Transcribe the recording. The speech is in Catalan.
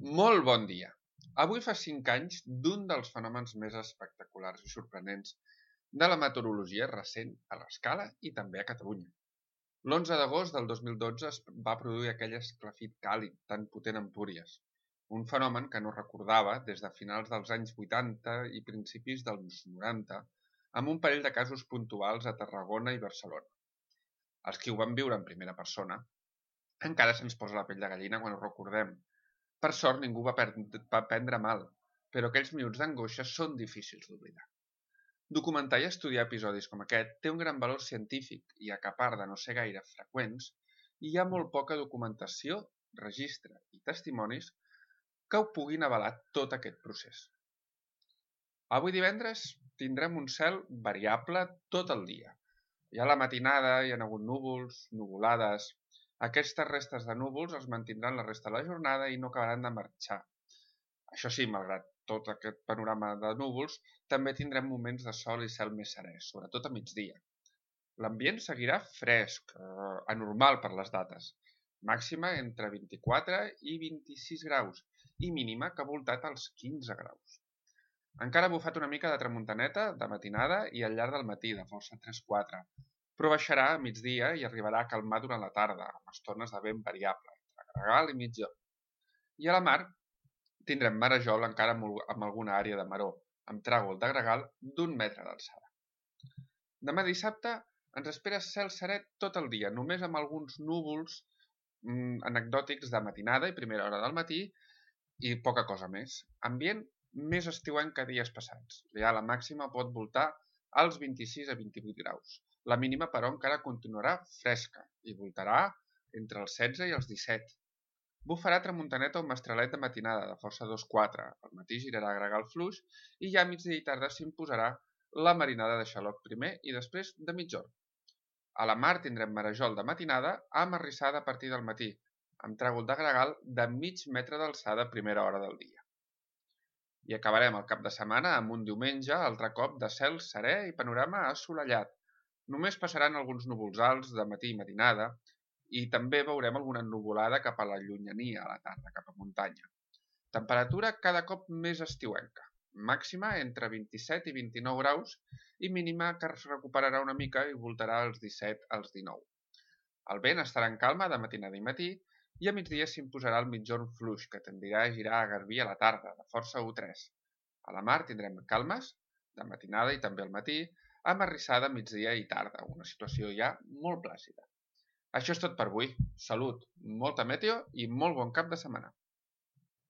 Molt bon dia! Avui fa 5 anys d'un dels fenòmens més espectaculars i sorprenents de la meteorologia recent a l'escala i també a Catalunya. L'11 d'agost del 2012 es va produir aquell esclafit càlid tan potent a Empúries, un fenomen que no recordava des de finals dels anys 80 i principis dels 90, amb un parell de casos puntuals a Tarragona i Barcelona. Els qui ho van viure en primera persona encara se'ns posa la pell de gallina quan ho recordem. Per sort ningú va prendre mal, però aquells minuts d'angoixa són difícils d'oblidar. Documentar i estudiar episodis com aquest té un gran valor científic i, a part de no ser gaire freqüents, hi ha molt poca documentació, registre i testimonis que ho puguin avalar tot aquest procés. Avui divendres tindrem un cel variable tot el dia. Ja a la matinada hi ha hagut núvols, nuvolades. Aquestes restes de núvols es mantindran la resta de la jornada i no acabaran de marxar. Això sí, malgrat tot aquest panorama de núvols, també tindrem moments de sol i cel més serè, sobretot a migdia. L'ambient seguirà fresc, anormal per les dates, màxima entre 24 i 26 graus i mínima que ha voltat als 15 graus. Encara ha bufat una mica de tramuntaneta de matinada i al llarg del matí, de força 3-4, però baixarà a migdia i arribarà a calmar durant la tarda, amb estones de vent variable, entre gregal i migjorn. I a la mar tindrem marejol encara amb alguna àrea de maró, amb tràgol de gregal d'1 metre d'alçada. Demà dissabte ens espera cel serè tot el dia, només amb alguns núvols anecdòtics de matinada i primera hora del matí i poca cosa més. Ambient més estiuenc que dies passats. Ja la màxima pot voltar als 26 a 28 graus. La mínima, però, encara continuarà fresca i voltarà entre els 16 i els 17. Bufarà tramuntaneta o mestralet de matinada de força 2-4. Al matí girarà gregal fluix i ja a migdia i tarda s'imposarà la marinada de xaloc primer i després de mitjorn. A la mar tindrem marejol de matinada amb arrissada a partir del matí, amb tràgol de gregal de mig metre d'alçada a primera hora del dia. I acabarem el cap de setmana amb un diumenge altre cop de cel serè i panorama assolellat. Només passaran alguns núvols alts de matí i matinada i també veurem alguna nuvolada cap a la llunyania a la tarda, cap a muntanya. Temperatura cada cop més estiuenca, màxima entre 27 i 29 graus i mínima que es recuperarà una mica i voltarà als 17 als 19. El vent estarà en calma de matinada i matí i a migdia s'imposarà el mitjorn fluix que tendirà a girar a garbí a la tarda, de força 1-3. A la mar tindrem calmes de matinada i també al matí, amb arrissada migdia i tarda, una situació ja molt plàcida. Això és tot per avui. Salut, molta meteo i molt bon cap de setmana.